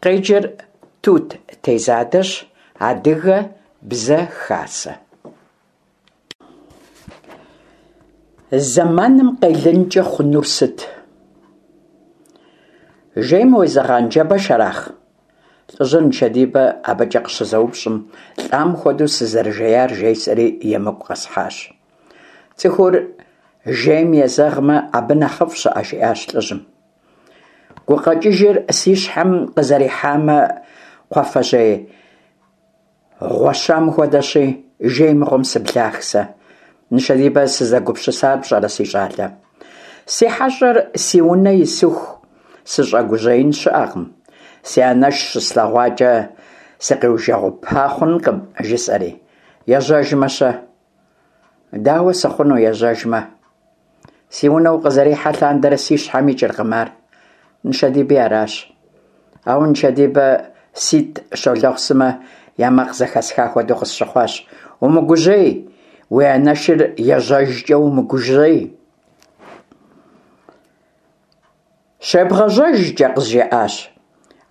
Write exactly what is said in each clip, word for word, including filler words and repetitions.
Къеджэр Тут Тезадэщ, Адыгэ Бзэ Хасэ. Зэманым къелынкӏэ хъунур сыт? Жейм уезэгъа ныжэбэ, Шэрахъ? ЛӀыжьыр нышэдибэ абыкӀэ къыщызэупщӀым, лӀам хуэдэу сызэрыжеяр жесӀэри емыкӀу къэсхьащ. ЦӀыхур жейм езэгъмэ, абы нэхъыфӀ щыӀэ, жиӀащ лӀыжьым. ГукъэкӀыжыр си щхьэм къызэрихьамэ, кхъуафэжьей гъуэщам хуэдэщи, жей мыгъуэм сыблах сэ. Нышэдибэ сызэгупсысар пщӀэрэ, си щӀалэ? Си хьэщӀэр си унэ исыху сыщӀэгужьеин щыӀэкъым, си анэш щыслъэгъуакӀэ сыкъиужэгъупа хъункъым, жысӀэри. Ежьэжмэ-щэ? Дауэ сыхъуну ежьэжмэ? Си унэ укъызэрихьэ лъандэрэ си щхьэм икӀыркъым ар. Нышэдиби аращ. Ауэ нышэдибэ ситӀ щолэхъу сымэ я макъ зэхэсха хуэдэу къысщыхъуащ. Умыгужьей, уи анэшыр ежьэжкӀэ умыгужьей. ЩебгъэжьэжкӀэ, къызжаӀащ,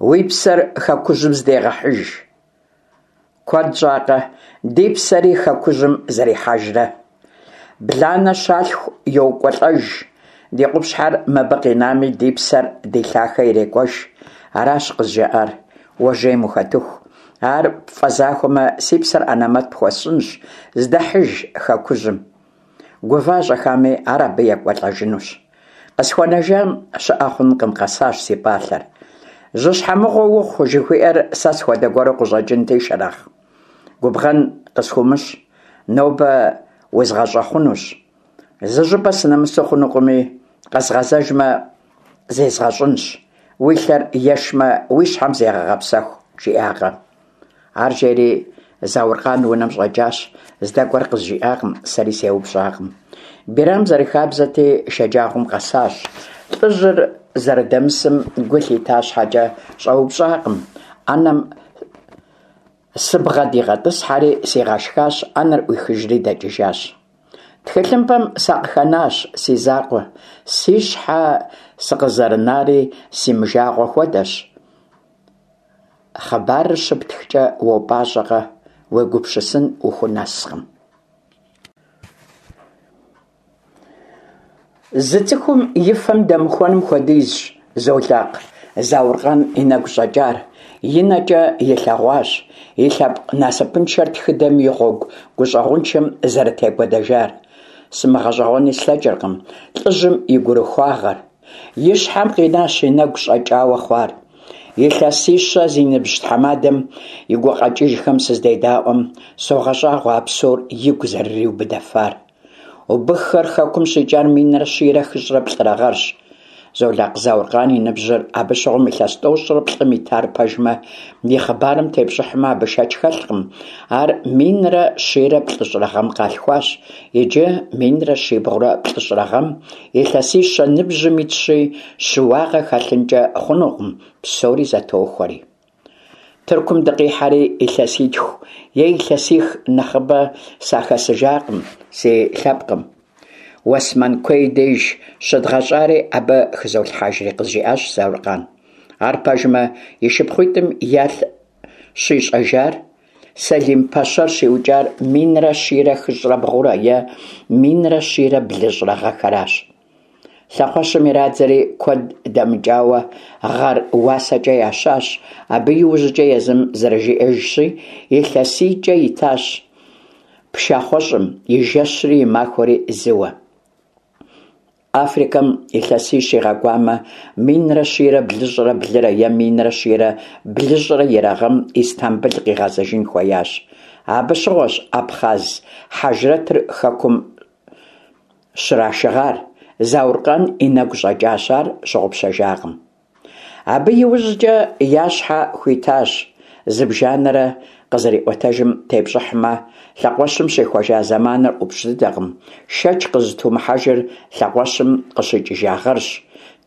уи псэр хэкужьым здегъэхьыж. Куэд щӀакъэ ди псэри хэкужьым зэрихьэжрэ? Бланэ щалъху йокӀуэлӀэж, ди къупщхьэр мыбы къинами, ди псэр ди лъахэ ирекӀуэж. Аращ къызжаӀар, уэ жейм ухэтыху. Ар пфӀэзахуэмэ, си псэр анэмэт пхуэсщӀынщ, здэхьыж хэкужьым. Гува-щӀэхами ар абы екӀуэлӀэжынущ. Къысхуэнэжам щыӀэ хъункъым, къэсащ си пӀалъэр. Жьыщхьэмыгъуэ ухъу жыхуиӀэр сэ схуэдэ гуэру къыщӀэкӀынти, Шэрахъ. Губгъэн къысхуумыщӀ, нобэ узгъэщӀэхъунущ. Зы щӀыпӀэ сынэмысу хъунукъыми, къэзгъэзэжмэ, зезгъэщӀынщ. Уи лъэр ешмэ, уи щхьэм зегъэгъэпсэху, жиӀакъэ? Ар жери Зауркъан унэм щӀэкӀащ, здэкӀуэр къызжиӀакъым, сэри сеупщӀакъым. Бирам зэрыхабзэти, шэджагъуэм къэсащ. ЛӀыжьыр зэрыдэмысым гу лъита щхьэкӀэ щӀэупщӀакъым. Ӏэнэм сыбгъэдигъэтӀысхьэри сигъэшхащ, Ӏэнэр Ӏуихыжри дэкӀыжащ. ТхылъымпӀэм сакъыхэнащ си закъуэ, си щхьэ сыкъызэрынари си мыжагъуэ хуэдэщ. Хъыбарыр щыптхкӀэ уопӀащӀэкъэ, уегупсысын ухунэскъым. Зы цӀыхум и фэм дэмыхуэным хуэдизщ Золакъ Зауркъан и нэгу щӀэкӀар, и нэкӀэ илъэгъуащ и лъэпкъ насыпыншэр тхыдэм и гъуэгу гущӀэгъуншэм зэрытекӀуэдэжар. СымыгъэщӀэгъуэни слъэкӀыркъым лӀыжьым и гурыхуагъэр. И щхьэм къинащ и нэгу щӀэкӀауэ хъуар. Илъэсищэ зи ныбжь тхьэмадэм и гукъэкӀыжхэм сыздедаӀуэм, согъэщӀагъуэ а псор игу зэрыриубыдэфар. Убыххэр хэкум щикӀар минрэ щийрэ хыщӀрэ плӀырэ гъэрщ. Золакъ Зауркъан и ныбжьыр абы щыгъуэм илъэс тӀощӀрэ плӀым итар пэжмэ, и хъыбарым тепщӀыхьмэ, абы шэч хэлъкъым. Ар минрэ щийрэ плӀыщӀрэ гъэм къалъхуащ, иджы минрэ щибгъурэ плӀыщӀрэ гъэм илъэсищэ ныбжьым итщи, щыуагъэ хэлъынкӀэ хъунукъым, псори зэтохуэри. Тыркум дыкъихьэри илъэситху е илъэсих нэхъыбэ сахэсыжакъым си лъэпкъым. Уэсмэн куей деж щыдгъэщӀари абы хызолъхьэжри, къызжиӀащ Зауркъан. Ар пэжмэ, и шыпхъуитӀым ялъ щищӀэжар, Сэлим пэщэр щиукӀар минрэ щийрэ хыщӀрэ бгъурэ е минрэ щийрэ блыщӀрэ гъэхэращ. Лъэхъуэщым ирадзэри куэд дэмыкӀауэ гъэр уасэкӀэ ящащ, абы иужькӀэ езым зэрыжиӀэжщи, илъэсийкӀэ итащ пшахъуэщӀым, и жэщри и махуэри зыуэ. Африкэм илъэсищ игъэкӀуамэ, минрэ щийрэ блыщӀрэ блырэ е минрэ щийрэ блыщӀрэ ирэ гъэм Истамбыл къигъэзэжын хуеящ. Абы щыгъуэщ абхъаз хьэжрэтыр хэкум щрашыгъар. Зауркъан и нэгу щӀэкӀащ ар, щыгъупщэжакъым. Абы иужькӀэ я щхьэ хуитащ зыбжанэрэ къызэриӀуэтэжым тепщӀыхьмэ, лъэхъуэщым щихуэжа зэманыр ӀупщӀ дыдэкъым, шэч къызытумыхьэжыр лъэхъуэщым къыщикӀыжа гъэрщ.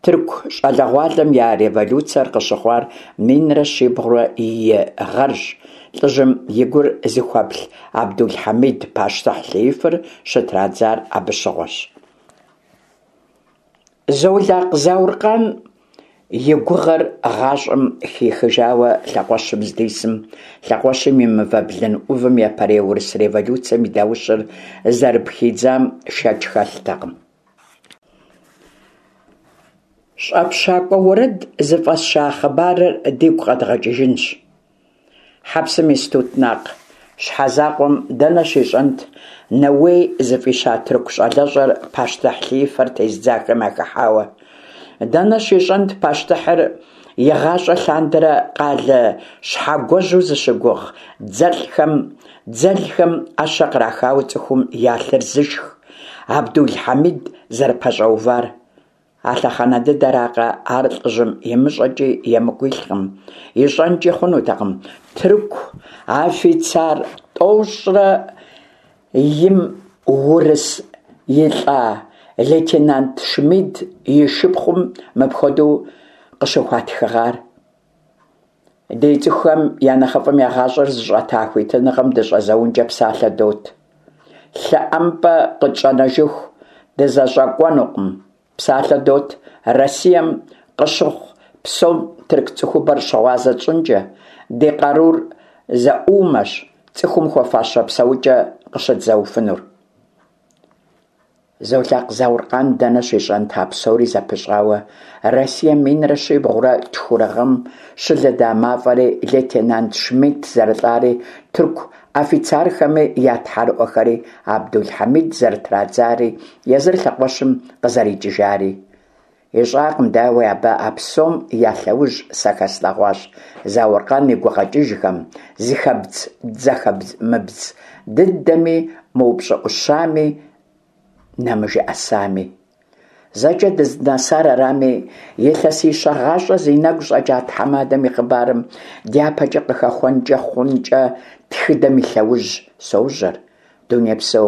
Тырку щӀалэгъуалэм я революцэр къыщыхъуар минрэ щибгъурэ и гъэрщ, лӀыжьым и гур зыхуэплъ Абдул-Хьэмид пащтыхь лъэифыр щытрадзар абы щыгъуэщ. Золакъ Зауркъан И гугъэр гъащӀэм хихыжауэ лъэхъуэщым здисым, лъэхъуэщым и мывэ блын Ӏувым япэрей урыс революцэм и даущыр зэрыпхидзам шэч хэлътэкъым. «ЩӀэпщакӀуэ уэрэд» зыфӀэсща хъыбарыр дигу къэдгъэкӀыжынщ. Хьэпсым ис тутнакъ щхьэзакъуэм дэнэ щищӀэнт Нэуей зыфӀища тырку щӀалэщӀэр пащтыхь лъыифэр тезыдзахэм яхыхьауэ? Дэнэ щищӀэнт пащтыхьыр игъащӀэ лъандэрэ къалэ щхьэгуэжьу зыщыгугъ дзэлӀхэм дзэлхэм Ӏэщэ кърахауэ цӀыхум я лъыр зышх Абдул-Хьэмид зэрыпэщӀэувар? А лъэхъэнэ дыдэракъэ ар лӀыжьым имыщӀэкӀи емыкӀу илъкъым, ищӀэнкӀи хъунутэкъым тырку афицар тӀощӀрэ им урыс илӀа лейтенант Шмидт и шыпхъум мыпхуэдэу къыщыхуатхыгъар: «Ди цӀыхухэм я нэхъыфӀым я гъащӀэр зыщӀата хуитыныгъэм дыщӀэзэункӀэ псалъэ дот. ЛъыӀэмпӀэ къытщӀэнэжыху дызэщӀэкӀуэнукъым. Псалъэ дот Россием къыщыхъу псом тырку цӀыхубэр щыгъуазэ тщӀынкӀэ. Ди къарур зэӀуумэщ цӀыхум хуэфащэ псэукӀэ къыщыдзэуфынур». Золакъ Зауркъан дэнэ щищӀэнт а псори зэпыщӀауэ Россием минрэ щибгъурэ тхурэ гъэм щылыда мафӀэри, лейтенант Шмидт зэрылӀари, тырку афицархэми я тхьэрыӀуэхэри Абдул-Хьэмид зэрытрадзари, езыр лъэхъуэщым къызэрикӀыжари? ИщӀакъым, дауи, абы а псом я лъэужь сэ хэслъэгъуащ Зауркъан и гукъэкӀыжхэм, зэхэбдз-зэхэмыбдз дыдэми, мыупщӀыӀущами, нэмыжыӀэсами. ЗэкӀэ дыздынэсар арами, илъэсищэ гъащӀэ зи нэгу щӀэкӀа тхьэмадэм и хъыбарым дяпэкӀэ къыхэхуэнкӀэ хъункӀэ тхыдэм и лъэужь сожьэр. Дунейпсо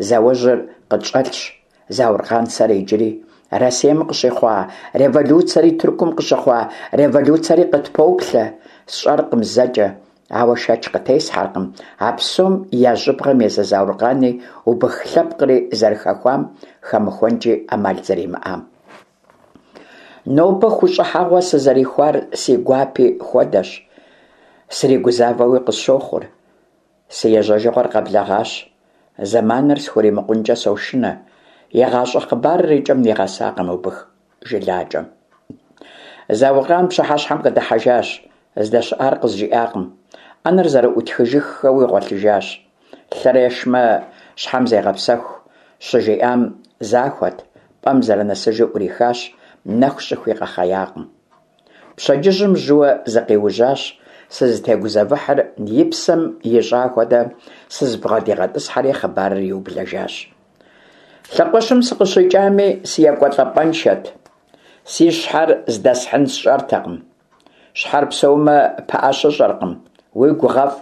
зауэжьыр къытщӀэлъщ Зауркъан сэрэ иджыри. Россием къыщыхъуа революцэри Тыркум къыщыхъуа революцэри къытпоплъэ. СщӀэркъым зэкӀэ, ауэ шэч къытесхьэркъым а псом я жьыбгъэм езы Зауркъани убых лъэпкъри зэрыхэхуам, хэмыхуэнкӀи Ӏэмал зэримыӀам. Нобэ хущӀыхьэгъуэ сызэрихуар си гуапи хуэдэщ, сригузавэуи къысщохъур. Си ежьэжыгъуэр къэблэгъащ, зэманыр схуримыкъункӀэ сошынэ. И гъащӀэ хъыбарыр и кӀэм нигъэсакъым убых жылакӀэм. Зауркъан пщыхьэщхьэм къыдыхьэжащ, здэщыӀар къызжиӀакъым. Ӏэнэр зэрыӀутхыжыххэуи гъуэлъыжащ. Лъэр ешмэ, щхьэм зегъэпсэху, щыжиӀам захуэт, пӀэм зэрынэсыжу Ӏурихащ, нэху щыхуи къэхъеякъым. Пщэдджыжьым жьыуэ зыкъиужьащ, сызытегузэвыхьыр и псэм ищӀа хуэдэ, сызыбгъэдигъэтӀысхьэри хъыбарыр иублэжащ. Лъэхъуэщым сыкъыщикӀами, сыекӀуэлӀапӀэншэт, си щхьэр здэсхьын сщӀэртэкъым. Щхьэр псэумэ, пыӀэ щыщӀэркъым, уигу гъэфӀ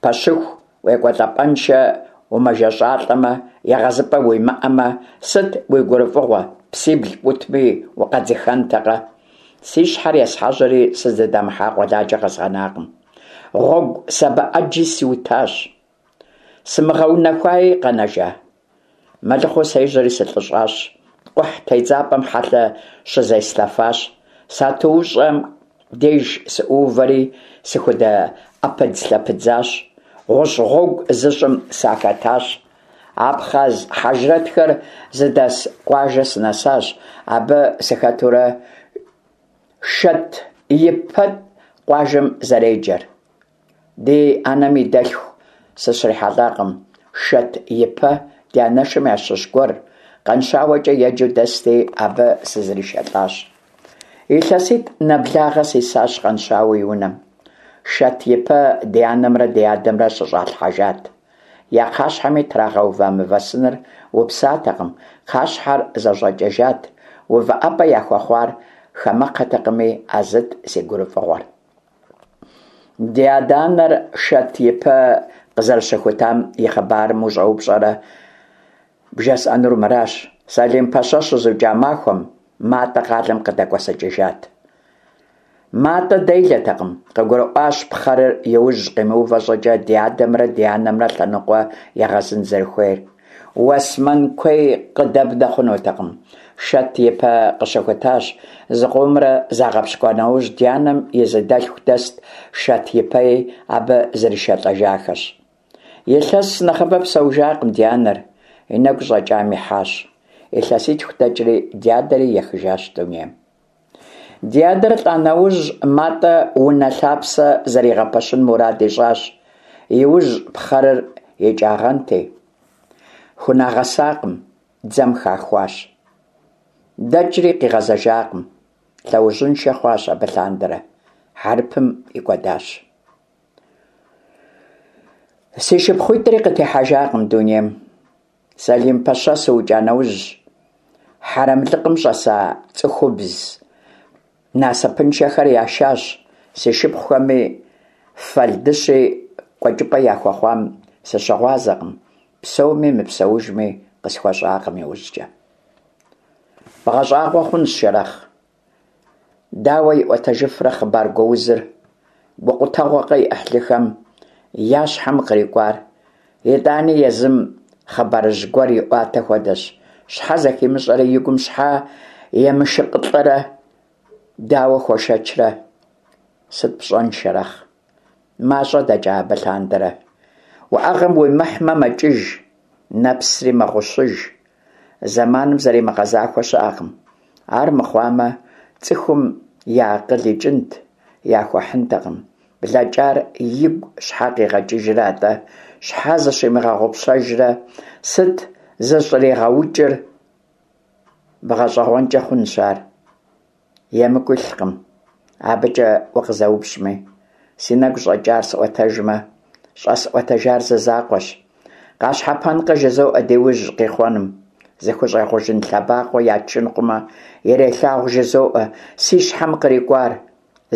пэщыху уекӀуэлӀапӀэншэ умэжэщӀалӀэмэ, егъэзыпӀэ уимыӀэмэ, сыт уи гурыфӀыгъуэ, псибл пӀутми, укъэдзыхэнтэкъэ? Си щхьэр есхьэжьэри, сыздыдэмыхьа къуэладжэ къэзгъэнакъым. Гъуэгу сабэ Ӏэджи сыутащ. Сымыгъэунэхуаи къэнэжа? Мэлыхъуэу сежьэри сылӀыщӀащ. Кхъухь тедзапӀэм хьэлъэ щызеслъэфащ. СатуущӀэм деж сыӀуувэри сыхудэӀэпыдзлъэпыдзащ. ГъущӀ гъуэгу зыщӀым сахэтащ. Абхъаз хьэжрэтхэр зыдэс къуажэ сынэсащ. Абы сыхэтурэ Шэт-Ипэт къуажэм зэреджэр. Ди анэм и дэлъху сыщрихьэлӀакъым Шэт-Ипэ, ди анэшым ящыщ гуэр, КъанщауэкӀэ еджэу дэсти, абы сызришэлӀащ. ИлъэситӀ нэблагъэ сисащ Къанщауэ и унэм. Шэт-Ипэ ди анэмрэ ди адэмрэ щыщӀалъхьэжат. Я кхъащхьэми трагъэува мывэ сыныр упсатэкъым, кхъащхьэр зэщӀэкӀэжат, увыӀэпӀэ яхуэхъуар хамэкхъэтэкъыми, а зыт си гурыфӀыгъуэр. Ди адэ-анэр Шэт-Ипэ къызэрыщыхутам и хъыбарым ущӀэупщӀэрэ бжесӀэнур мыращ. Сэлим-пэщэ щызукӀа махуэм МатӀэ къалэм къыдэкӀуэсыкӀыжат. МатӀэ делэтэкъым, къыгурыӀуащ пхъэрыр и ужь къимыувэ щӀыкӀэ ди адэмрэ ди анэмрэ лъэныкъуэ егъэзын зэрыхуейр. Уэсмэн куей къыдэбнэ хъунутэкъым. Шэт Ипэ къыщыхутащ. Зыкъомрэ загъэпщкӀуа нэужь, ди анэм и зы дэлъху дэст Шэт Ипэи, абы зришэлӀэжахэщ. Илъэс нэхъыбэ псэужакъым ди анэр, и нэгу щӀэкӀам ихьащ. Илъэситху дэкӀри, ди адэри ехыжащ дунейм. Ди адэр лӀа нэужь, МатӀэ унэ лъапсэ зэригъэпэщын мурад ищӀащ, иужь пхъэрыр икӀагъэнти. Хунэгъэсакъым, дзэм хахуащ. ДэкӀри къигъэзэжакъым, лъэужьыншэ хъуащ абы лъандэрэ. Хьэрыпым икӀуэдащ. Си шыпхъуитӀри къытехьэжакъым дунейм. Сэлим-пэщэ сыукӀа нэужь, хьэрэмлыкъым щӀэса цӀыхубз насыпыншэхэр яшащ си шыпхъухэми, фэлдыщи кӀуэкӀыпӀэ яхуэхъуам сыщыгъуазэкъым, псэуми мыпсэужми къысхуэщӀакъым иужькӀэ. БгъэщӀагъуэ хъунщ, Шэрэхъ. Дауэ иӀуэтэжыфрэ хъыбар гуузыр? Гукъутэгъуэкъэ и Ӏыхьлыхэм я щхьэм кърикӀуар? ИтӀани езым хъыбарыжь гуэр иӀуатэ хуэдэщ. Щхьэ зэхимыщӀэрэ и гум щхьэ емышыкъылӀэрэ? Дауэ хуэшэчрэ? Сыт пщӀэн, Шэрэхъ? МащӀэ дэкӀа абы лъандэрэ? УӀэгъэм уимыхьмэ, мэкӀыж, нэпсри мэгъущыж. Зэманым зэримыгъэзахуэ щыӀэкъым. Ар мыхъуамэ, цӀыхум я акъыл икӀынт, яхуэхьынтэкъым. БлэкӀар игу щхьэ къигъэкӀыжрэ атӀэ? Щхьэ зыщимыгъэгъупщэжрэ? Сыт зыщӀригъэукӀыр? БгъэщӀэгъуэнкӀэ хъунщ ар. ЕмыкӀу илъкъым, абыкӀэ укъызэупщӀми. Си нэгу щӀэкӀар сӀуэтэжмэ, щӀэсӀуэтэжар зы закъуэщ. Къащхьэпэнкъэ жызоӀэ ди ужь къихъуэнум, зыхущӀегъуэжын лъэбакъуэ ячын хъумэ, ирелъагъу жызоӀэ си щхьэм кърикӀуар.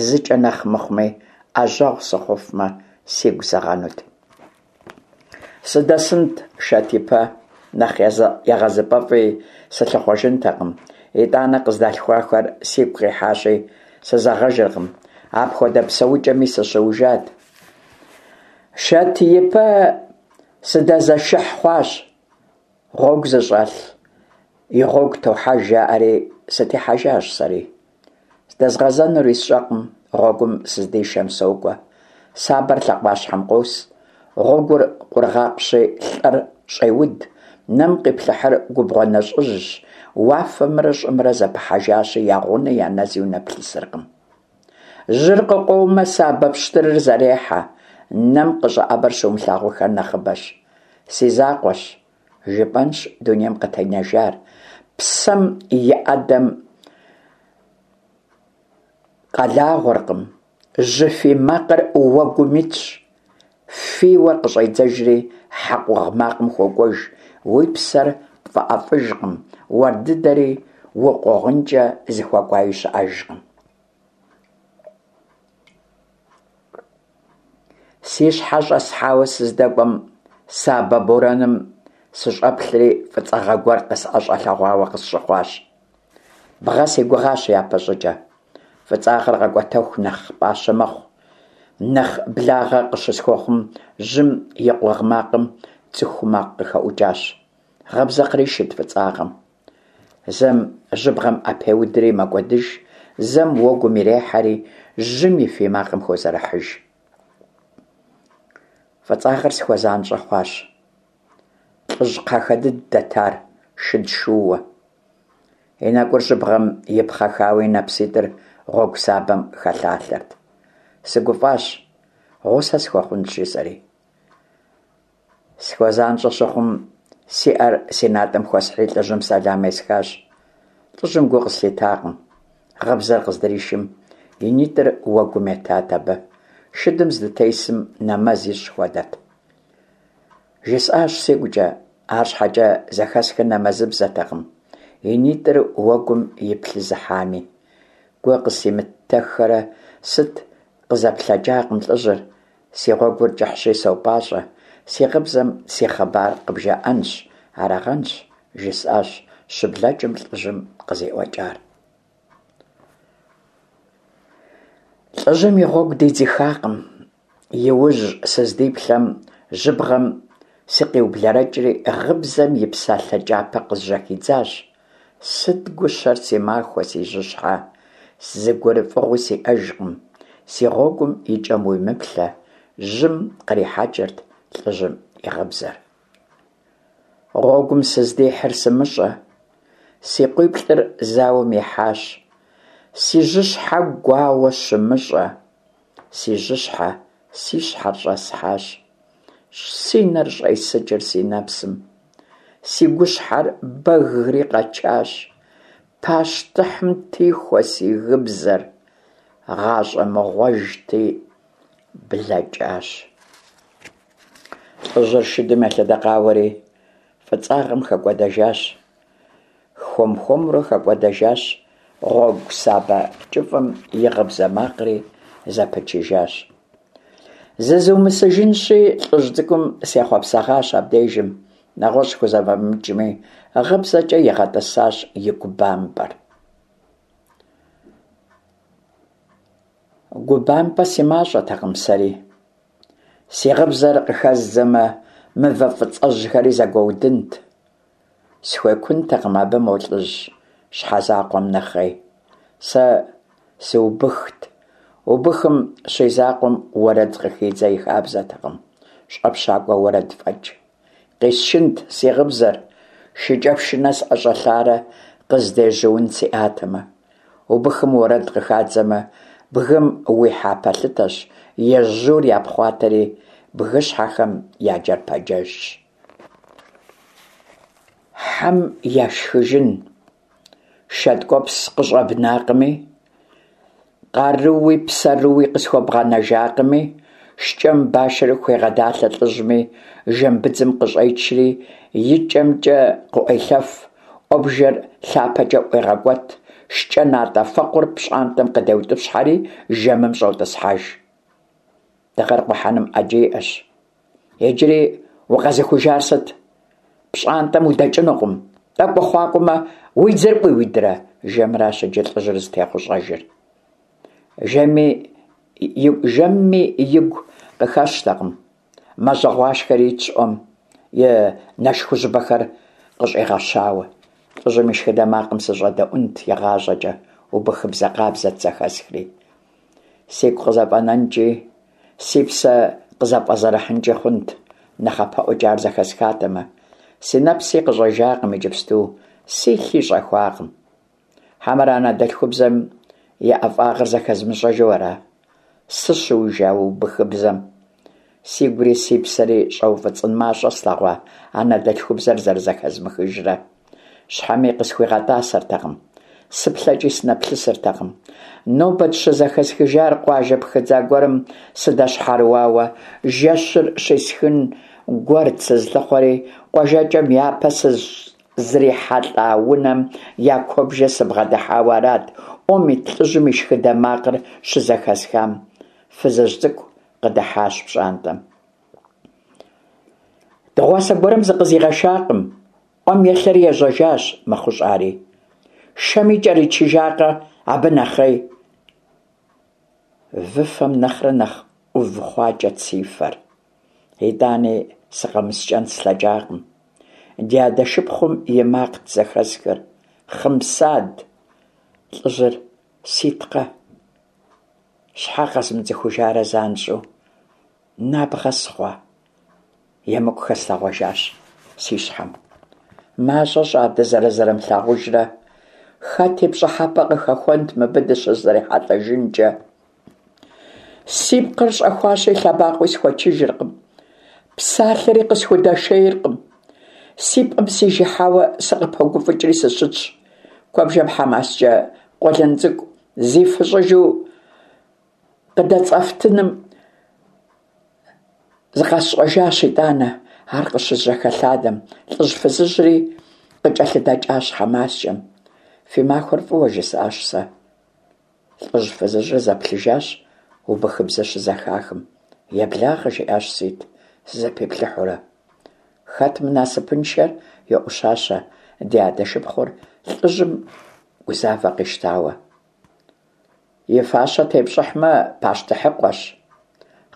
ЗыкӀэ нэхъ мыхъуми, Ӏэжьэгъу сыхъуфмэ, сигу зэгъэнут. Сыдэсынт Шэт Ипэ, нэхъ егъэзыпӀэфӀи сылъыхъуэжынтэкъым. ИтӀанэ къыздалъхуахэр сигу къихьащи, сызэгъэжыркъым. Апхуэдэ псэукӀэми сыщыужат. Шэт Ипэ сыдэзэшыхь хъуащ. Гъуэгу зыщӀэлъ и гъуэгу тохьэж, жаӀэри сытехьэжащ сэри. Здэзгъэзэнури сщӀэркъым, гъуэгум сыздишэм сокӀуэ. Сабэр лъакъуащхьэм къос. Гъуэгур къургъакъщи, лъэр щӀеуд. Нэм къиплъыхьыр губгъуэ нэщӀыжьщ, уафэмрэ щӀымрэ зэпыхьэжащи, я гъуни я нэзи унэплъысыркъым. Жьыр къыкъуэумэ, сабэ пщтырыр зэрехьэ, нэм къыщӀэӀэбэр щумылъагъуххэр нэхъыбэщ. Си закъуэщ жыпӀэнщ дунейм къытенэжар. Псэм и Ӏэдэм къэлагъуэркъым. Жьы фий макъыр уэгум итщ. Фийуэ къыщӀедзэжри хьэ къугъ макъым хуокӀуэж. Уи псэр пфӀэӀэфӀыжкъым, уэр дыдэри укъугъынкӀэ зыхуэкӀуаи щыӀэжкъым. Си щхьэ щӀэсхьауэ сыздэкӀуэм, сабэ борэным сыщӀэплъри, фӀыцӀагъэ гуэр къысӀэщӀэлъэгъуауэ къысщыхъуащ. Бгъэ си гугъащ япэщӀыкӀэ. ФӀыцӀагъэр къэкӀуэтэху нэхъ пӀащэ мэхъу. Нэхъ благъэ къыщысхуэхъум, жьым и къугъ макъым цӀыху макъ къыхэӀукӀащ. Гъыбзэ къришырт фӀыцӀагъэм. Зэм жьыбгъэм Ӏэпеудри мэкӀуэдыж, зэм уэгум ирехьэри, жьым и фий макъым хозэрыхьыж. ФӀыцӀагъэр схуэзанщӀэ хъуащ. ЛӀыжь кхъахэ дыдэт ар, шыд шууэ. И нэкӀур жьыбгъэм ипхъэхауэ и нэпситӀыр гъуэгу сабэм хэлъалъэрт. СыгуфӀащ, гъусэ схуэхъунщ, жысӀэри. СхуэзанщӀэ щыхъум, си Ӏэр си натӀэм хуэсхьри лӀыжьым сэлам есхащ. ЛӀыжьым гу къыслъитакъым. Гъыбзэр къыздришым и нитӀыр уэгум етат абы. Шыдым здытесым нэмэз ищӀ хуэдэт. ЖысӀащ сигукӀэ, арщхьэкӀэ зэхэсхыр нэмэзыбзэтэкъым, и нитӀыр уэгум иплъызыхьами. Гу къыслъимытэххэрэ сыт, къызэплъэкӀакъым лӀыжьыр. Си гъуэгур кӀыхьщи сопӀащӀэ, си гъыбзэм си хъыбар къыбжаӀэнщ, арагъэнщ, жысӀащ щыблэкӀым лӀыжьым къызиӀуэкӀар. ЛӀыжьым и гъуэгу дидзыхакъым. И ужь сыздиплъэм, жьыбгъэм сыкъиублэрэкӀри, гъыбзэм и псалъэ кӀапэ къызжьэхидзащ. Сыт гущэр си махуэ си жьыщхьэ, зы гурыфӏыгъуи сиӏэжкъым, си гъуэгум и кӏэм уимыплъэ, жьым кърихьэкӏырт лӏыжьым и гъыбзэр. Гъуэгум сыздихьыр сымыщӏэ, си къуиплӏыр зауэм ихьащ, си жьыщхьэ гуауэ щымыщӏэ, си жьыщхьэ си щхьэр щӏэсхьащ. Си нэр щӏесыкӏыр си нэпсым, си гущхьэр бэгри къэчащ, пащтыхьым техуэ си гыбзэр, гъащӏэ мыгъуэжьти блэкӏащ. Лӏыжьыр шыдым елъэдэкъауэри, фӏыцӏагъэм хэкӏуэдэжащ. Хуэм-хуэмурэ хэкӏуэдэжащ гъуэгу сабэ кӏыфӏым и гъыбзэ макъри зэпычыжащ. Зызумысыжынщи, лӏыжь цӏыкӏум сехъуэпсэгъащ абдежым, нэгъуэщӏ хузэфӏэмыкӏми, гъыбзэкӏэ игъэтӏысащ и гу бампӏэр. Гу бампӏэ си мащӏэтэкъым сэри. Си гъыбзэр къыхэздзэмэ, мывэ фӏыцӏэжьхэри зэгуэудынт. Схуекунтэкъым абы мо лӏыжь щхьэзакъуэм нэхъей. Сэ сыубыхт. Убыхым щизакъуэм уэрэд къыхидзэ и хабзэтэкъым, щӏэпщакӏуэ уэрэд фӏэкӏ. Къисшынт си гъыбзэр, шыкӏэпшынэ сӏэщӏэлъарэ къыздежьуун сиӏатэмэ. Убыхым уэрэд къыхадзэмэ, бгым уихьа пэлъытэщ, ежьур япхъуатэри, бгыщхьэхэм я джэрпэджэжщ. Хьэм яшхыжын шэ ткӏуэпс къыщӏэбнакъыми, къарууи псэрууи къысхуэбгъэнэжакъыми, шкӏэм башыр хуегъэдалъэ лӏыжьми, жэмбыдзым къыщӏечри и кӏэмкӏэ къыӏуелъэф, ӏуэбжэр лъапэкӏэ ӏуегъэкӏуэт, шкӏэ натӏэ фэкъур пщӏантӏэм къыдеутӏыпщхьэри жэмым щӏотӏысхьэж. Дыгъэр къухьэным ӏэджэ иӏэщ. Иджыри укъэзыхужар сыт? Пщӏантӏэм удэкӏынукъым. Тӏэкӏу ухъуакӏуэмэ, уи дзэр ӏуиудрэ? Жэмыращ иджы лӏыжьыр зытехъущӏэжыр. Жэмми игу къыхэщтэкъым. Мажьэгъуашхэр итщ ӏуэм, и нэшхуэжьыбэхэр къыщӏигъэщауэ. Лӏыжьым и шхыдэ макъым сыщӏэдэӏунт игъащӏэкӏэ, убыхыбзэ къабзэт зэхэсхри. Сигу къызэфӏэнэнкӏи, си псэ къызэфӏэзэрыхьынкӏи хъунт, нэхъапэӏуэкӏэ ар зэхэсхатэмэ. Си нэпси къыщӏэжакъым иджыпсту, си лъи щӏэхуакъым. Хьэмэрэ анэдэлъхубзэм и ӏэфӏагъыр зэхэзмыщӏэжу ара? Сыщыужа убыхыбзэм? Сигури си псэри щӏэуфӏыцӏын мащӏэ слъэгъуа анэдэлъхубзэр зэрызэхэзмыхыжрэ? Щхьэми къысхуигъэтӏасэртэкъым, сыплъэкӏи сынэплъысыртэкъым. Нобэт щызэхэсхыжар къуажэ пхыдза гуэрым сыдэщхьэрыуауэ, жэщыр щисхын гуэрт сызылъыхъуэри, къуажэкӏэм япэ сызрихьэлӏа унэм я куэбжэ сыбгъэдыхьауэ арат, ӏуэм ит лӏыжьым и шхыдэ макъыр щызэхэсхам. Фызыжь цӏыкӏу къыдыхьащ пщӏантӏэм. Дыгъуасэ гуэрым зыкъызигъэшакъым, ӏуэм елъэри ежьэжащ мыхъущӏари. Шэми кӏэричыжакъэ абы нэхъей. Выфэм нэхърэ нэхъ ӏув хъуакӏэт си фэр. Итӏани сыкъэмыскӏэн слъэкӏакъым. Ди адэ шыпхъум и макът зэхэсхыр. Хъымсад! Лӏыжьыр ситкъэ? Щхьэ къэзмыцӏыхужарэ занщӏэу? Набгъэ сыхъуа? Емыкӏу хэслъэгъуэжащ си щхьэм. Мащӏэ щӏа дызэрызэрымылъагъужрэ? Хэт и пщӏыхьэпӏэ къыхэхуэнт мыбы дыщызэрихьэлӏэжынкӏэ? Си пкъыр щӏэхуащи, лъэбакъуи схуэчыжыркъым, псалъэри къысхудэшейркъым. Си пӏэм сижыхьауэ сыкъыпогуфӏыкӏри сыщытщ. Куэбжэм хьэмаскӏэ къуэлэн цӏыкӏу зифыщӏыжу къыдэцӏэфтыным зыкъэсщӏэжащ итӏанэ, ар къыщызжьэхэлъадэм, лӏыжь-фызыжьри къыкӏэлъыдэкӏащ хьэмаскӏэм. Фи махуэр фӏыуэ, жысӏащ сэ. Лӏыжь-фызыжьыр зэплъыжащ убыхыбзэ щызэхахым. Еблагъэ, жиӏащ Сит, сызэпиплъыхьурэ. Хэт мы насыпыншэр? йоӏущащэ ди адэ шыпхъур лӏыжьым гузавэ къищтауэ. И фащэ тепщӏыхьмэ, пащтыхьыкъуэщ.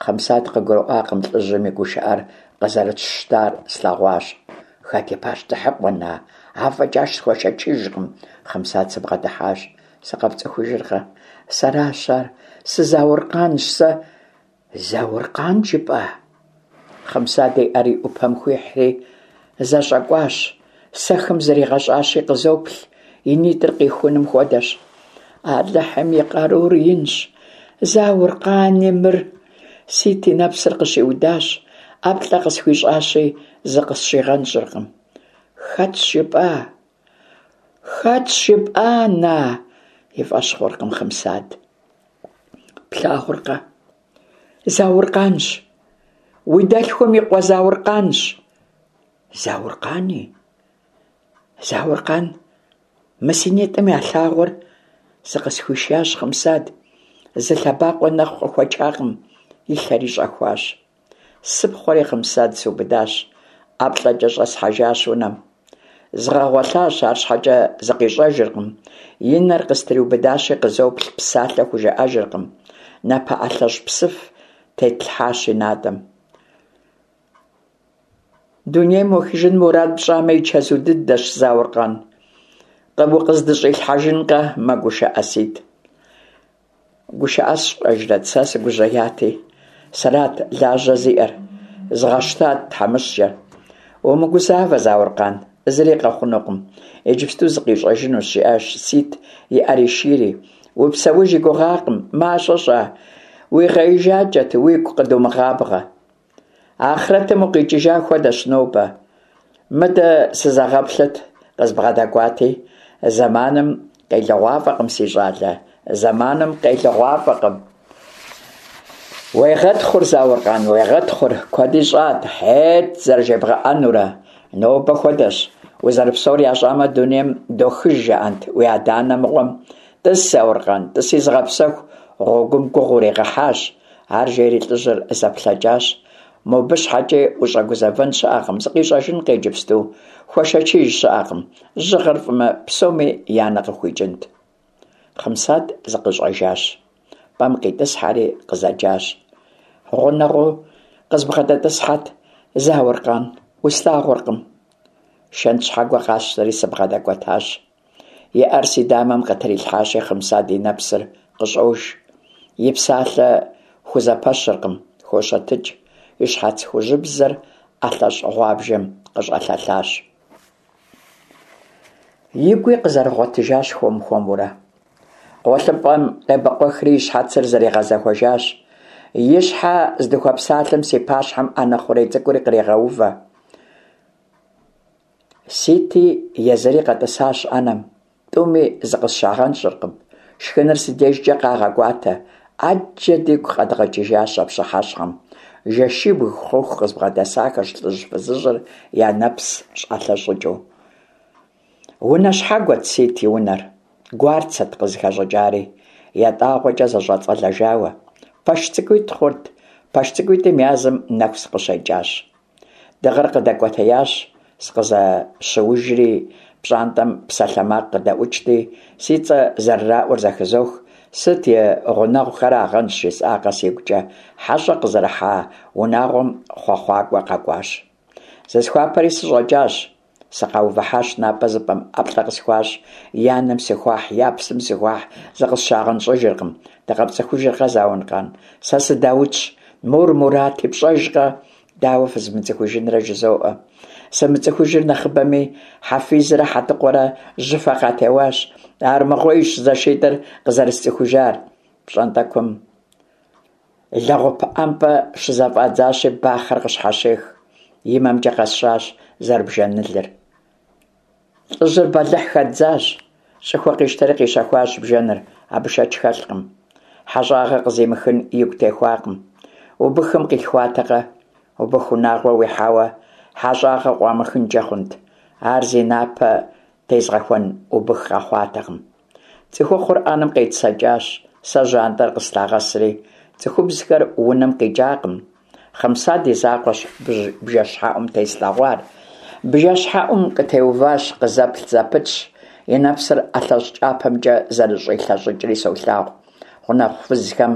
Хъымсад къыгурыӏуакъым лӏыжьым и гушыӏэр къызэрытщтар слъэгъуащ. Хэт и пащтыхьыкъуэ, на, Афӏэкӏа схуэшэчыжкъым. Хъымсад сыбгъэдыхьащ. Сыкъэпцӏыхужыркъэ? Сэращ ар! Сы-Зауркъанщ сэ! Зауркъан жыпӏа? Хъымсад и ӏэр и ӏупэм хуихьри зэщӏэкӏуащ. Сэхым зригъэщӏащи, къызоплъ, и нитӏыр къихуным хуэдэщ. Алыхьым и къарур инщ. Зауркъани мыр! Сит и нэпсыр къыщиудащ, ӏэплӏэ къысхуищӏащи, зыкъысщигъэнщӏыркъым. Хэтщ жыпӏа? Хэтщ жыпӏа, на? И фӏэщ хъуркъым Хъымсад. Плъагъуркъэ? Зауркъанщ. Уи дэлъхум и къуэ Зауркъанщ. Зауркъани? Зауркъан, мы си нитӏым ялъагъур! Зыкъысхуишиящ Хъымсад. Зы лъэбакъуэ нэхъ къыхуэчакъым, и лъэри щӏэхуащ. Сыпхъуэри Хъымсад сыубыдащ, ӏэплӏэкӏэ щӏэсхьэжащ унэм. Згъэгъуэлъащ, арщхьэкӏэ зыкъищӏэжыркъым. И нэр къыстриубыдащи, къызоплъ, псалъэ хужыӏэжыркъым. НапэӀэлъэщӀ псыф тетлъхьащ и натӏэм. Дунейм уехыжын мурад пщӏамэ, и чэзу дыдэщ, Зауркъан. Укъыздыщӏилъхьэжынкъэ, мэгушыӏэ Сит. ГушыӀэ сщӀэжрэт, сэ сыгужьеяти. Сэрат лажьэ зиӀэр, згъэщтат тхьэмыщкӀэр. Умыгузавэ, Зауркъан, зыри къэхъунукъым, иджыпсту зыкъищӀэжынущ, жиӀащ Сит и Ӏэр ишийри. Упсэуж и гугъакъым, мащӀэ щӀа, уигъеижакӀэт, уигу къыдумыгъабгъэ. Ахърэтым укъикӀыжа хуэдэщ нобэ. Мыдэ сызэгъэплъыт, къызбгъэдэкӀуати. Зэманым къелыгъуафӀэкъым, си щӀалэ, зэманым къелыгъуафӀэкъым. Уегъэтхъур, Зауркъан, уегъэтхъур, куэди щӀат, хьет зэрыжебгъэӀэнурэ. Нобэ хуэдэщ, узэрыпсэур ящӀамэ, дунейм дохыж жаӀэнт уи адэ-анэ мыгъуэм. ТӀыс, Зауркъан, тӀыси зыгъэпсэху, гъуэгум гугъу уригъэхьащ. Ар жери лӀыжьыр зэплъэкӀащ. Мобы щхьэкӀи ущӀэгузэвэн щыӀэкъым, зыкъищӀэжынкъэ иджыпсту, хуэшэчыж щыӀэкъым. Жьыгъэр фӀымэ, псоми я нэ къыхуикӀынт. Хъымсад зыкъищӀэжащ. ПӀэм къитӀысхьэри къызэджащ. Гъунэгъуу къызбгъэдэтӀысхьэт, Зауркъан, услъагъуркъым. Шэнт щхьэгуэ къасщтэри сыбгъэдэкӀуэтащ. И Ӏэр си дамэм къытрилъхьащи, Хъымсад и нэпсыр къыщӀож. И псалъэ хузэпэщыркъым, хощэтыкӀ, и щхьэц хужьыбзэр ӀэлъэщӀ гъуабжэм къыщӀэлъэлъащ. И гуи къызэрыгъуэтыжащ хуэм-хуэмурэ. ГъуэлъыпӀэм къебэкъуэхри и щхьэцыр зэригъэзэхуэжащ. И щхьэ здыхуэпсалъэм си пащхьэм Ӏэнэ хъурей цӀыкӀури кърегъэувэ. Сити езыри къэтӀысащ Ӏэнэм. ТӀуми зыкъысщагъэнщӀыркъым. Шхыныр си дежкӀэ къагъэкӀуатэ. Ӏэджэ дигу къэдгъэкӀыжащ а пщыхьэщхьэм. Жэщибг хъуху къызбгъэдэсахэщ лӀыжь-фызыжьыр я нэпс щӀалъэщӀыкӀыу. Унэ щхьэгуэт Сит и унэр. Гуарцэт къызыхэщӀыкӀари, ятӀагъуэкӀэ зэщӀэцӀэлэжауэ. Пэш цӀыкӀуитӀ хъурт. Пэш цӀыкӀуитӀым язым нэху сыкъыщекӀащ. Дыгъэр къыдэкӀуэтеящ, сыкъызэщыужри, пщӀантӀэм псалъэмакъ къыдэӀукӀти, си цӀэ зэрыраӀуэр зэхызох. Сыт и гъунэгъухэрагъэнщ, жысӀакъэ сигукӀэ, хьэщӀэ къызэрыхьа унагъуэм хъуэхъуакӀуэ къэкӀуащ. Зысхуапэри сыщӀэкӀащ. Сыкъаувыхьащ напӀэзыпӀэм, ӀэплӀэ къысхуащӀ, я нэм сыхуахь, я псым сыхуахь, зыкъысщагъэнщӀыжыркъым. ДыкъэпцӀыхужыркъэ, Зауркъан? Сэ сы-Даутщ, мор Мурати пщӀэжкъэ? Дауэ фызмыцӀыхужынрэ, жызоӀэ. СымыцӀыхужыр нэхъыбэми, Хьэфизрэ Хьэтыкъуэрэ жьыфэ къатеуащ. Армыгъуейщ зэшитӀыр къызэрысцӀыхужар. ПщӀантӀэкум лэгъупыӀэмпӀэ щызэфӀадзащи, бахъэр къыщхьэщех. И мэмкӀэ къэсщӀащ зэрыбжэнылыр. ЛӀыжьыр бэлыхь хэддзащ. ЩӀыхуэ къищтэри къищэхуащ бжэныр, абы шэч хэлъкъым. ХьэщӀагъэ къызимыхын игу техуакъым. Убыхым къилъхуатэкъэ? Убых унагъуэ уихьауэ хьэщӀагъэ къуамыхынкӀэ хъунт. Ар зи напэ тезгъэхуэн убых къэхъуатэкъым. ЦӀыхухъур Ӏэнэм къетӀысэкӀащ, сэ жьантӀэр къыслъагъэсри, цӀыхубзхэр унэм къикӀакъым. Хъымсад и закъуэщ бжэщхьэӀум теслъэгъуар. БжэщхьэӀум къытеуващ, къызэплъ зэпытщ, и нэпсыр ӀэлъэщӀ кӀапэмкӀэ зэрыщӀилъэщӀыкӀри солъагъу. Гъунэгъу фызхэм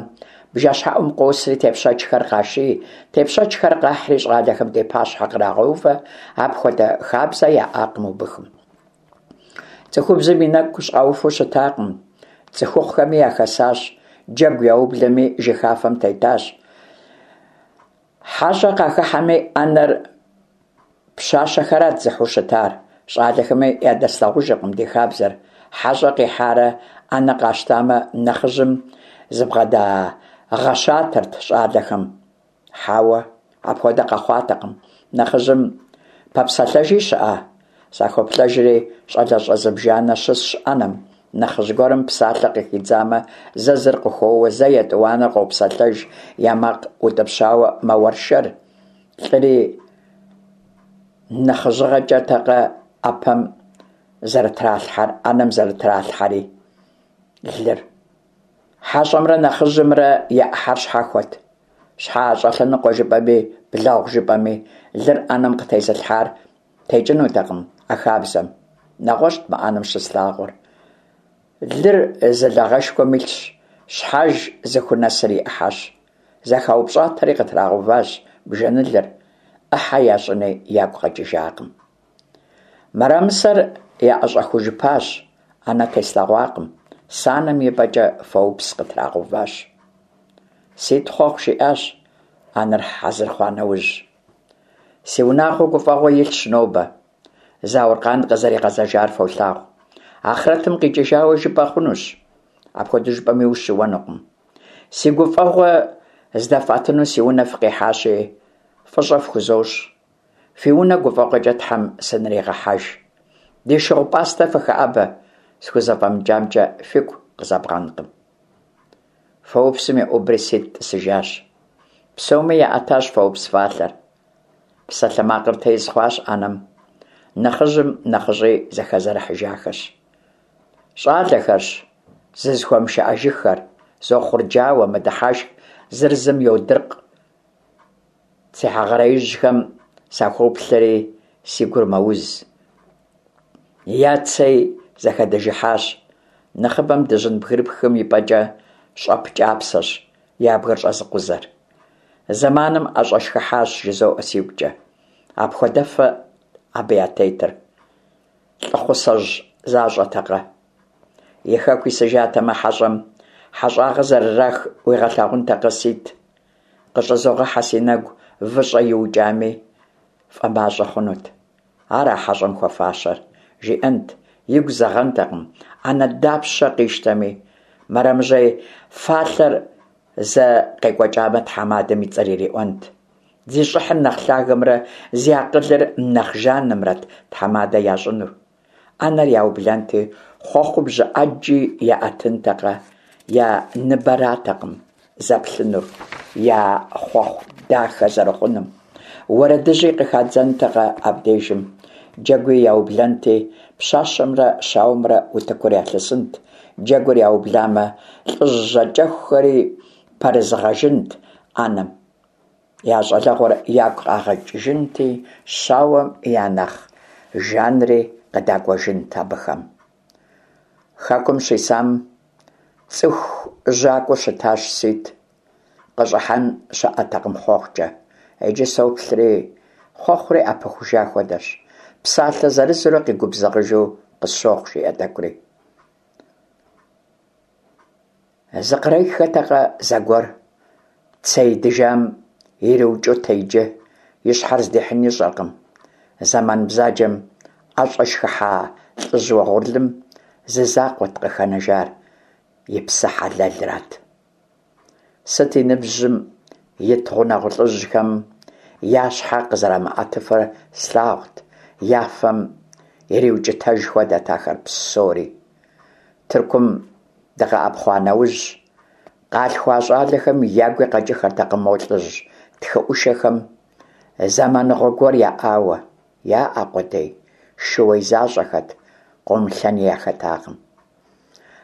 бжэщхьэӀум къосри тепщэчхэр къаший, тепщэчхэр къахьри щӀалэхэм ди пащхьэ кърагъэувэ, апхуэдэ хабзэ яӀакъым убыхым. Цӏыхубзым и нэкӀу щӀауфэу щытакъым, цӏыхухъухэми яхэсащ, джэгу яублэми жыхафэм тетащ. ХьэщӀэ къахыхьэми, Ӏэнэр пщащэхэрат зыхьу щытар. ЩӀалэхэми ядэслъагъужыркъым ди хабзэр. ХьэщӀэ къихьарэ Ӏэнэ къащтамэ, нэхъыжьым зыбгъэдагъэщатэрт щӀалэхэм. Хьэуэ, апхуэдэ къэхъуатэкъым. Нэхъыжьым пэпсэлъэжи щыӀэ? Сахоплъэжри, щӀалэщӀэ зыбжанэ щысщ Ӏэнэм. Нэхъыжь гуэрым псалъэ къыхидзамэ, зэ зыр къыхоуэ, зэ етӀуанэр къопсэлъэж, я макъ утӀыпщауэ мэуэршэр. Лӏыри нэхъыжьыгъэкӀэтэкъэ Ӏэпэм зэрытралъхьэр, Ӏэнэм зэрытралъхьэри лыр. ХьэщӀэмрэ нэхъыжьымрэ я Ӏыхьэр щхьэхуэт. Щхьэ щӀэлъэныкъуэ жыпӀэми, блэгъу жыпӀэми, лыр Ӏэнэм къытезылъхьар текӀынутэкъым а хабзэм. НэгъуэщӀт мы Ӏэнэм щыслъагъур. Лыр зы лагъэшхуэм илъщ, щхьэж зыхунэсыр и Ӏыхьэщ. ЗэхаупщӀатэри къытрагъэуващ бжэнылыр, Ӏыхьэ ящӀыни ягу къэкӀыжакъым. Мырамысэр яӀэщӀэхужыпащ, Ӏэнэ теслъэгъуакъым, санэм и пӀэкӀэ фоупс къытрагъэуващ. Сит хъуэхъу жиӀащ Ӏэнэр хьэзыр хъуа нэужь. Си унагъуэ гуфӀэгъуэ илъщ нобэ. Зауркъан къызэригъэзэжар фолъагъу. Ахърэтым къикӀыжауэ жыпӀэ хъунущ. Апхуэдэу жыпӀэми ущыуэнукъым. Си гуфӀэгъуэ здэфӀэтыну си унэ фыкъихьащи, фӀыщӀэ фхузощӀ. Фи унэ гуфӀэгъуэкӀэ Тхьэм сынригъэхьэж. Ди шыгъу-пӀастэ фыхэӀэбэ, схузэфӀэмыкӀамкӀэ фигу къызэбгъэнкъым. Фоупсым еӀубри Сит тӀысыжащ. Псоми яӀэтащ фоупс фалъэр. Псалъэмакъыр тез хъуащ Ӏэнэм. Нэхъыжьым нэхъыщӀи зэхэзэрыхьыжахэщ. ЩӀалэхэрщ зызыхуэмышыӀэжыххэр, зохъурджауэ, мэдыхьэшх, зыр зым йодыркъ. Си хэгъэреижьхэм сахоплъэри, си гур мэуз. Я цей зэхэдыжыхьащ. Нэхъыбэм дыжьын бгырыпхым и пӀэкӀэ щӀэп кӀапсэщ я бгыр щӀэзыкъузэр. Зэманым ӀэщӀэшхыхьащ, жызоӀэ сигукӀэ. Апхуэдэфэ абы ятетыр. ЛӀыхъусэжь защӀэтэкъэ? И хэку исыжатэмэ, хьэщӀэм хьэщӀагъэ зэрырах уигъэлъагъунтэкъэ, Сит? КъыщӀызогъэхьэ си нэгу выщӀэ иукӀами, фӀэмащӀэ хъунут. Ара хьэщӀэм хуэфащэр? ЖиӀэнт, игу зэгъэнтэкъым, Ӏэнэ дапщэ къищтэми. Мэрэмэжьей фалъэр зэ къекӀуэкӀамэ, тхьэмадэм и цӀэр ириӀуэнт. Зи щӀыхьыр нэхъ лъагэмрэ зи акъылыр нэхъ жанымрэт тхьэмадэ ящӀынур. Ӏэнэр яублэнти, хъуэхъубжьэ Ӏэджи яӀэтынтэкъэ, я ныбэратэкъым зэплъынур, я хъуэхъу дахэ зэрыхъуным. Уэрэдыжьи къыхадзэнтэкъэ абдежым. Джэгуи яублэнти, пщащэмрэ щауэмрэ утыкур ялъысынт. Джэгур яубламэ, лӀыжь жьакӀэхухэри пэрызгъэжынт Ӏэнэм. Я щӀалэгъуэр ягу къагъэкӀыжынти, щауэм я нэхъ жанри къыдакӀуэжынт абыхэм. Хэкум щисам цӀыху жьакӀуэу щытащ Сит. КъыщӀыхьэн щыӀэтэкъым хъуэхъукӀэ. Иджы соплъри, хъуэхъури Ӏэпыхужа хуэдэщ. Псалъэ зырызурэ къигубзыгъыжу къысщохъу жиӀэ тӀэкӀури. Зыкъреххэтэкъэ зэгуэр, цей дыжам иреукӀытэ иджы, и щхьэр здихьын ищӀэркъым. Зэман бзаджэм ӀэщӀэшхыхьа лӀыжь угъурлым зы закъуэт къыхэнэжар – и псэ хьэлэлрат. Сыт и ныбжьым ит гъунэгъу лӀыжьхэм я щхьэ къызэрамыӀэтыфыр слъагъут, я фэм ириукӀытэж хуэдэт ахэр псори. Тыркум дыкъэӀэпхъуа нэужь, къалъхуа щӀалэхэм ягуи къэкӀыххэртэкъым мо лӀыжь тхыӀушэхэм зэманыгъуэ гуэр яӀауэ. ЯӀа къудей, шууей защӀэхэт, къомылъэни яхэтакъым.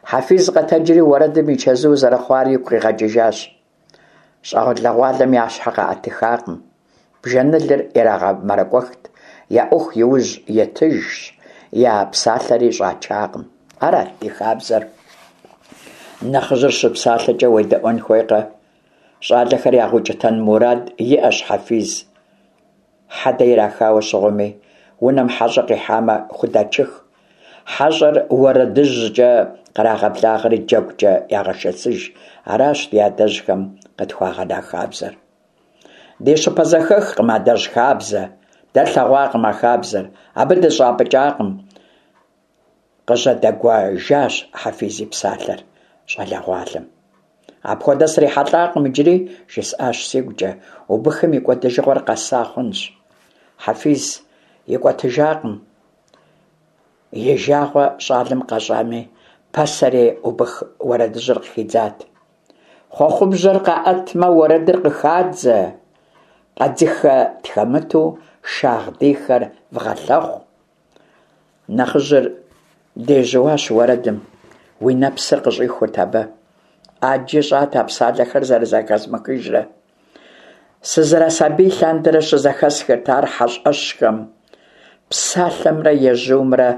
Хьэфиз къэтэджри уэрэдым и чэзу зэрыхъуар игу къигъэкӀыжащ. ЩӀалэгъуалэм я щхьэ къаӀэтыххакъым. Бжэнылыр ирагъэмэрэкӀуэхт, я Ӏуэху иужь итыжщ, я псалъэри щӀачакъым. Арат ди хабзэр. Нэхъыжьыр щыпсалъэкӀэ уедэӀуэн хуейкъэ? ЩӀалэхэр ягъэукӀытэн мурад иӀэщ Хьэфиз. Хьэдэ ирахауэ щыгъуэми, унэм хьэщӀэ къихьамэ, худачых. ХьэщӀэр уэрэдыжькӀэ кърагъэблагъэри джэгукӀэ ягъэшэсыж. Аращ ди адэжьхэм къытхуагъэна хабзэр. Ди щыпэзэхэхкъым адэжь хабзэ, дэ тлъэгъуакъым а хабзэр, абы дыщӀапӀыкӀакъым, къыжьэдагуэжащ Хьэфиз и псалъэр щӀалэгъуалэм. Апхуэдэ срихьэлӀакъым иджыри, жысӀащ сигукӀэ, убыхым и кӀуэдыжыгъуэр къэса хъунщ. Хьэфиз икӀуэтыжакъым. И жагъуэ щӀалэм къащӀами, пасэрей убых уэрэдыжьыр къыхидзат. Хъуэхъубжьэр къаӀэтмэ, уэрэдыр къыхадзэ, къэдзыхэ тхэмыту шагъдийхэр вгъэлъэхъу. Нэхъыжьыр дежьууащ уэрэдым, уи нэпсыр къыщӀихурт абы. Ӏэджи щӀат а псалъэхэр зэрызэхэзмыхыжрэ. Сызэрысабий лъандэрэ щызэхэсхырт ар хьэщӀэщхэм. Псалъэмрэ ежьумрэ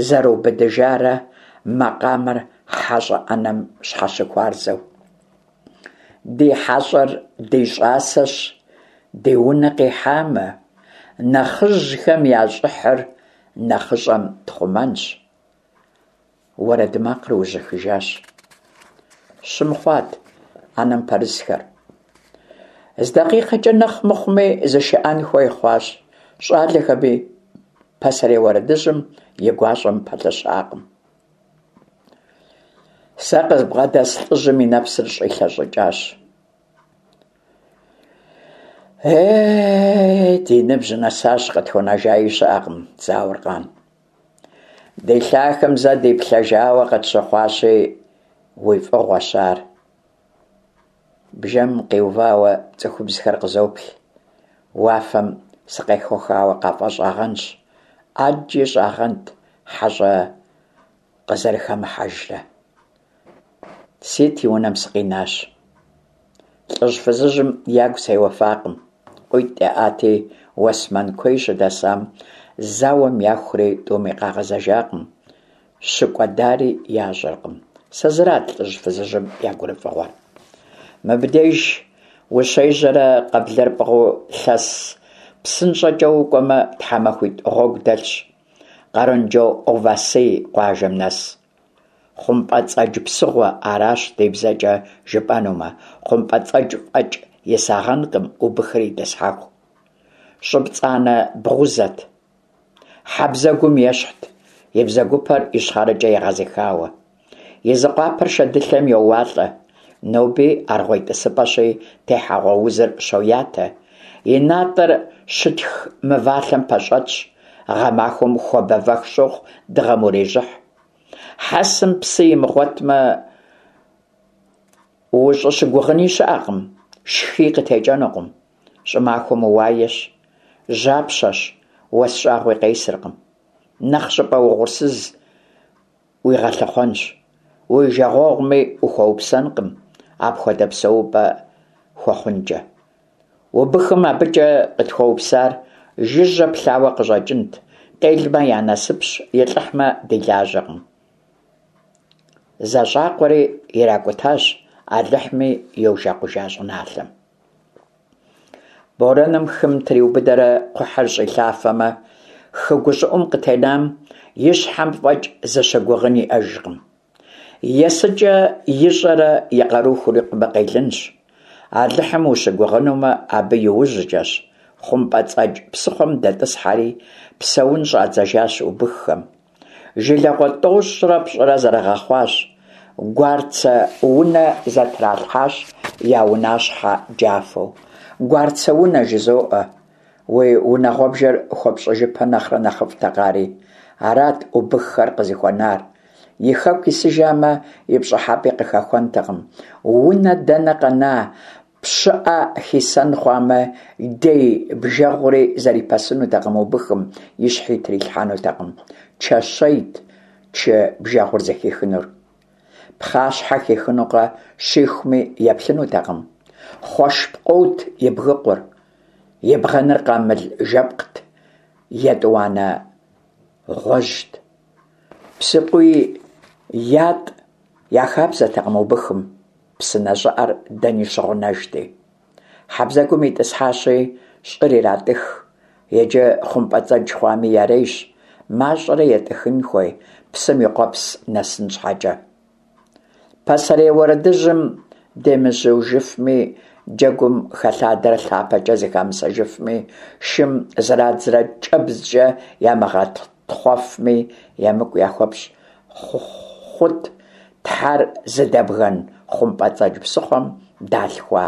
зэрыубыдыжарэ макъамэр хьэщӀэ Ӏэнэм щхьэщыхуарзэу. Ди хьэщӀэр ди щӀасэщ, ди унэ къихьамэ, нэхъыжьхэм я щӀыхьыр нэхъыщӀэм тхъумэнщ. Уэрэд макъыр ужьыхыжащ. Щым хъуат Ӏэнэм пэрысхэр. Зы дакъикъэкӀэ нэхъ мыхъуми зышыӀэн хуей хъуащ щӀалэхэми, пасэрей уэрэдыжьым и гуащӀэм пэлъэщакъым. Сэ къызбгъэдэс лӀыжьым и нэпсыр щӀилъэщӀыкӀащ. Е ди ныбжь нэсащ, къытхуэнэжаи щыӀэкъым, Зауркъан. Ди лъахэм зэ диплъэжауэ къытщыхъуащи, уи фӀыгъуэщ ар. Бжэм къиувауэ цӀыхубзхэр къызоплъ. Уафэм сыкъехуэхауэ къафӀэщӀагъэнщ. Ӏэджи щӀагъэнт хьэщӀэ къызэрыхэмыхьэжрэ. Сит и унэм сыкъинащ. ЛӀыжь-фызыжьым ягу сеуэфакъым. КъуитӀ яӀати, Уэсмэн куей щыдэсам зауэм яхури тӀуми къагъэзэжакъым, щыкӀуэдари ящӀэркъым. Сэ зырат лӀыжь-фызыжьым я гурыфӀыгъуэр. Мыбдеж ущежьэрэ къыблэр пӀыгъыу лъэс псынщӀэкӀэ укӀуэмэ, тхьэмахуитӀ гъуэгу дэлъщ Къарынджэ-Овасы къуажэм нэс. ХъумпӀэцӀэдж псыгъуэ, аращ ди бзэкӀэ жыпӀэнумэ, хъумпӀэцӀэдж фӀэкӀ исагъэнкъым убыхыр итӀысхьэху. ЩӀы пцӀанэ бгъузэт, хьэ бзэгум ещхьт, и бзэгупэр ищхъэрэкӀэ егъэзыхауэ. И зы къуапэр шэдылъэм йоуалӀэ. Ноби аргъуей тӀысыпӀэщи, техьэгъуэ узыр щоятэ. И натӀэр шытх мывалъэм пэщӀэтщ. Гъэмахуэм хуабэвэх щохъу, дыгъэм урещӀыхь. Хьэсэм псы имыгъуэтмэ, ущӀыщыгугъыни щыӀэкъым, шхий къытекӀэнукъым. ЩӀымахуэм уаещ, жьапщэщ, уэс щӀагъуи къесыркъым. Нэхъ щӀыпӀэ угъурсыз уигъэлъыхъуэнщ. Уи жагъуэгъуми ухуэупсэнкъым апхуэдэ псэупӀэ хуэхъункӀэ. Убыхым абыкӀэ къытхуэупсар жыжьэ плъауэ къыщӀэкӀынт, къелмэ я насыпщ, илӀыхьмэ ди лажьэкъым. ЗэщӀакъуэри иракӀутащ Алыхьми иужэгъужа щӀыналъэм. Борэным хым триубыдэрэ кхъухьыр щӀилъафэмэ, хы гущӀыӀум къытенам и щхьэм фӀэкӀ зыщыгугъын иӀэжкъым. ЕсыкӀэ ищӀэрэ и къару хурикъумэ къелынщ. Алыхьым ущыгугъынумэ, абы и ужькӀэщ. ХъумпӀэцӀэдж псыхъуэм дэтӀысхьэри, псэун щӀадзэжащ убыххэм. Жылэгъуэ тӀощӀрэ пщӀырэ зэрыгъэхъуащ. Гуарцэ унэ зэтралъхьащ я унащхьэ джафэу. Гуарцэ унэ жызоӀэ. Уи унагъуэбжэр хуэпщӀыжыпэ нэхърэ нэхъыфӀтэкъэ ари? Арат убыххэр къызыхуэнар. И хэку исыжамэ, и пщӀыхьэпӀи къыхэхуэнтэкъым. Унэ дэнэ къэна, пщыӀэ хисэн хъуамэ, дей бжэгъури зэрипэсынутэкъым убыхым, и щхьи трилъхьэнутэкъым. Чэщейт чы бжэгъур зыхихынур. Пхъащхьэ хихынукъэ, щихуми еплъынутэкъым. Хъуэш пкъот и бгыкъур. И бгъэныр къамыл жэпкът, етӀуанэ гъуэжьт. Псыкъуий ятӀ я хабзэтэкъым убыхым, псынэ щӀыӀэр дэни щыгъунэжти. Хьэ бзэгум итӀысхьащи, щӀыр иратӀых. Иджы хъумпӀэцӀэдж хъуами ярейщ. МащӀэрэ етӀыхын хуей, псым и къуэпс нэсын щхьэкӀэ. Пасэрей уэрэдыжьым демыжьуужыфми, джэгум хэлъадэрэ лъапэкӀэ зыхамысэжыфми, шым зрадзрэ кӀэбдзкӀэ ямыгъэтхъуэфми емыкӀу яхуэпщӀ хъут тхьэр зыдэбгэн ХъумпӀэцӀэдж псыхъуэм далъхуа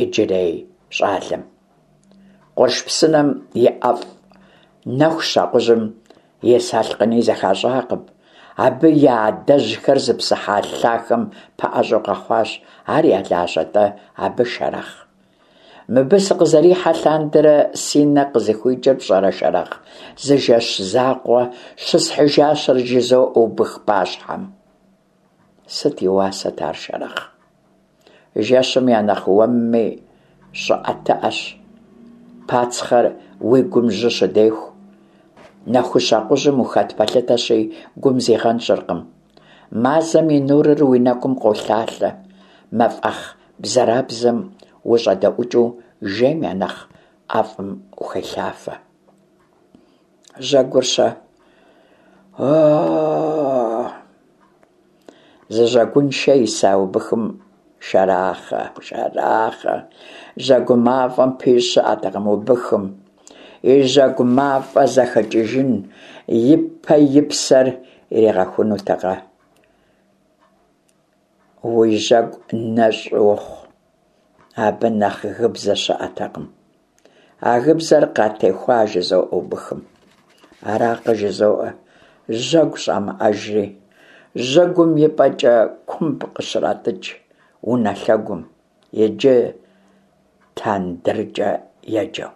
иджырей щӀалэм. Къурш псынэм и ӀэфӀ нэхущ акъужьым и салъкъыни зэхащӀакъым. Абы я адэжьхэр зыпсыхьа лъахэм пэӀэщӀэу къэхъуащ. Ар я лажьэ-тӀэ абы, Шэрэхъ? Мыбы сыкъызэрихьэ лъандэрэ си нэ къызыхуикӀыр пщӀэрэ, Шэрэхъ? Зы жэщ закъуэ щысхьыжащэрэт жызоӀэ убых пащхьэм. Сыт и уасэт ар, Шэрэхъ? Жэщым я нэхъ уэмми щӀыӀэтыӀэщ, пацхъэр уи гум жьы щыдеху. Нэхущ акъужьым ухэт пэлъытэщи, гум зигъэнщӀыркъым. Мазэм и нурыр уи нэкӀум къолъалъэ, мафӀэхъ бзэрабзэм ущӀэдэӀукӀыу жейм я нэхъ ӀэфӀым ухелъафэ. Жьэгур-щэ? О-о-о! Зы жьэгуншэ иса убыхым, Шэрахъэ, Шэрахъэ! Жьэгу мафӀэм пищӀ щыӀэтэкъым убыхым. И жьэгу мафӀэ зэхэкӀыжын ипэ и псэр иригъэхынутэкъэ? Уи жьэгу нэщӀ ухъу, абы нэхъ гыбзэ щыӀэтэкъым. А гыбзэр къатехуа жызоӀэ убыхым. Аракъэ жызоӀэ жьэгу щӀамыӀэжри. Жьэгум и пӀэкӀэ кумб къыщратӀыкӀ унэ лъэгум, иджы тандыркӀэ еджэу.